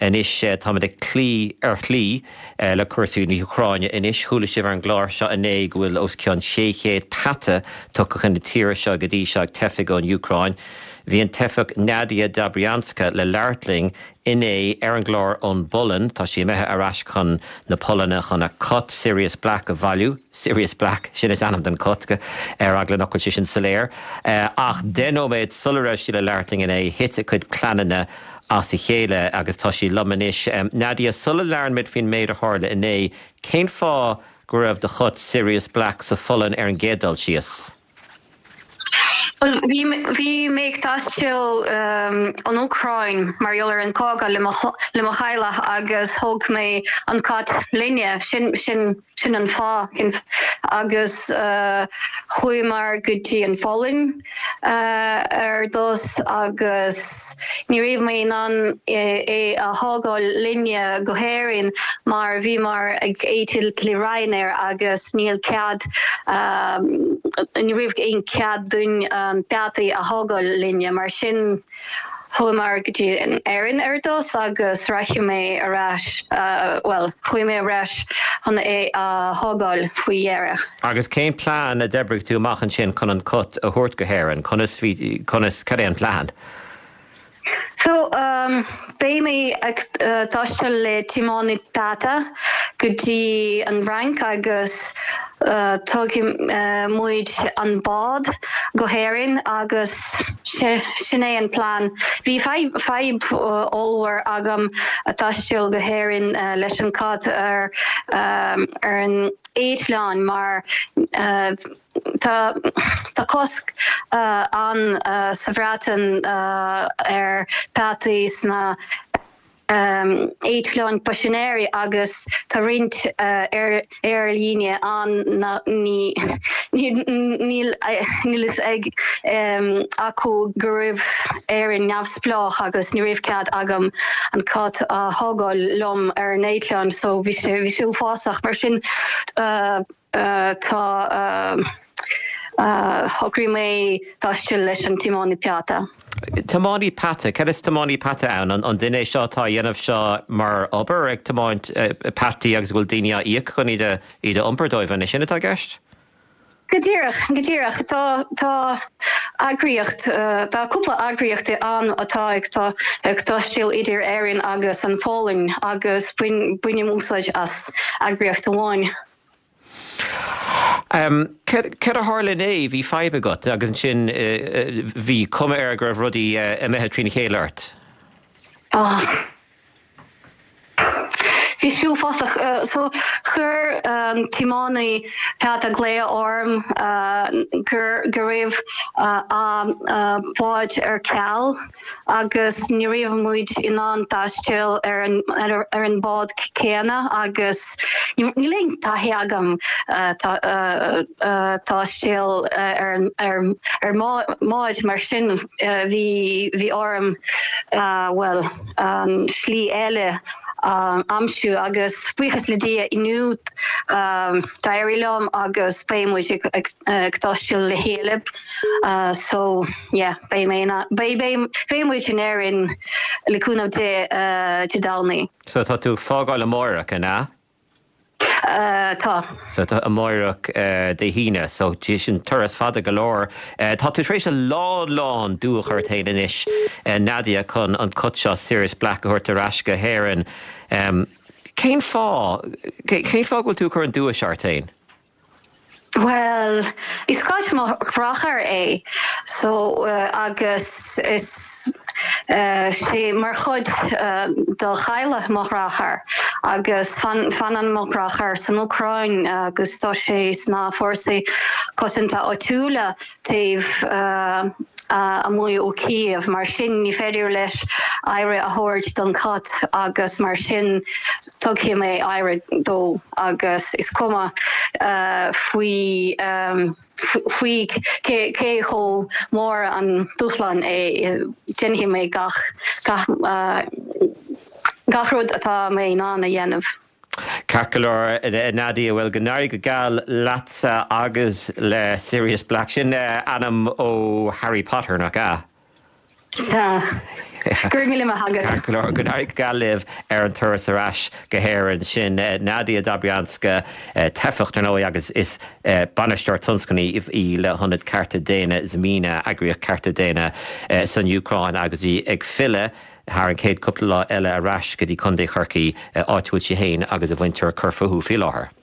Anois táimid ag cloí ar shlí le cúrsaí na hÚcráine anois. Chuala sibh ar an gclár seo inné go bhfuil os cionn 600 peata tugtha chun na tíre seo go dtí seo ag teifigh ón Úcráin. Bhí an teifeach Nadia Dobrianska le labhairt linn inné ar an gclár ón bPolainn. Tá sí imithe ar ais chun na Polainne chun a cat, Sirius Black, a bhailiú. Sirius Black, sin is ainm don cat, ar eagla nach bhfuil sé sin soiléir. Ach 10 nóiméad sula raibh sí le labhairt linn inné, thit a cuid pleananna as a chéile agus tá sí liom anois. Nadia, sula labhrann muid faoin méid a tharla inné, cén fáth go raibh do chat Sirius Black sa Pholainn ar an gcéad dul síos? Bhuel, bhí, bhí mé ag taisteal an Úcráin mar gheall ar an cogadh le mo, le mo theaghlach agus thóg mé an cat linne, sin, sin, sin an fáth. Agus chuamar go dtí an Pholainn ar dtús agus ní raibh mé in ann é a thógáil linne go hÉirinn mar bhíomar ag eitilt le Ryanair agus níl cead, ní raibh aon cead dúinn peataí a thógáil linne. Mar sin chuamar go dtí Éirinn ar dtús agus rachaidh mé ar ais, bhuel, chuaigh mé ar ais chun é a thógáil faoi dheireadh. Agus cén plean a d'oibrigh tú amach ansin chun an cat a thabhairt go hÉirinn? Conas bhí, conas, cad é an plean? So, beidh mé ag taisteal le tiománaí peata go dtí an Fhrainc agus tógfaidh muid an bád go hÉirinn agus sin é an plean. Bhí fadhb ollmhór agam taisteal go hÉirinn leis an cat ar an eitleán mar Tá tá cosc ann sa Bhreatain ar peataí sna eitleáin paisinéirí agus tá roinnt aerlíne ann níl níl fhios ag acu go raibh Éirinn neamhspleách agus ní raibh cead agam an cat a thógáil liom ar an eitleán so bhí sé bhí sé uafásach mar sin Tá shocraigh mé taisteal leis an tiománaí peata. Tiománaí peata? Cad is tiománaí peata ann? An duine é seo atá a dhéanamh seo mar obair, ag tiomáint peataí agus go bhfuil daoine á íoc chun iad a iad a iompar dóibh? An é sin atá i gceist? Go díreach, go díreach. Tá tá eagraíocht, tá cúpla eagraíocht ann atá ag ag taisteal idir Éirinn agus an Pholainn agus bainim úsáid as eagraíocht amháin. Cad a tharla inné? Bhí fadhb agat agus ansin bhí cuma air go raibh rudaí imithe trína chéile ort. Bhí sé uafásach. So chuir an tiománaí peata glao orm go raibh a bád ar ceal. agus ní raibh muid in ann taisteal ar an ar an bád céanna agus níl aon taithí agam taisteal ar ar ar mbád mar sin bhí bhí orm bhuel slí eile a aimsiú agus buíochas le Dia inniu d'éirigh liom agus beidh muid ag taisteal le chéile so yeah beidh mé in beidh beidh beidh muid in Éirinn le cúnamh Dé Dé Domhnaigh. So tá tú ag fágáil amáireach, an ea? Tá. So tá amáireach Dé hAoine, so sin turas fada go leor. Tá tú tar éis a lán lán dua a chur ort féin anois, Nadia, chun an cat seo, Sirius Black, a thabhairt ar ais go hÉirinn. Cén fáth, cén fáth go bhfuil tú ag cur an dua seo ort féin? Bhuel, is cat mo dheartháir é so agus is sé mar chuid de theaghlach mo dheartháir agus fanann mo dheartháir san Úcráin agus tá sé sna fórsaí cosanta áitiúla taobh amuigh ó Kiev mar sin ní féidir leis aire a thabhairt don chat agus mar sin Tugfaidh mé aire dó agus is cuma faoi faoi cé chomh mór an dúshlán é, déanfaidh mé gach gach gach rud atá mé in ann a dhéanamh. Ceart go leor, a Nadia, bhuel, go n-éirí go geal leatsa agus le Sirius Black. Sin ainm ó Harry Potter, nach ea? Sea. Go raibh míle maith agat. Ceart go leor. Go n-éirí go geal libh ar an turas ar ais go hÉirinn. Sin Nadia Dobrianska, teifeach dar ndóigh agus is bainisteoir tionscnaimh í le hIonad Cearta Daonna Zmina, eagraíocht cearta daonna san Úcráin agus í ag filleadh thar an chéad cúpla lá eile ar ais go dtí Contae Chorcaí, áit a bhfuil sí féin agus a muintir ag cur fúthu faoi láthair.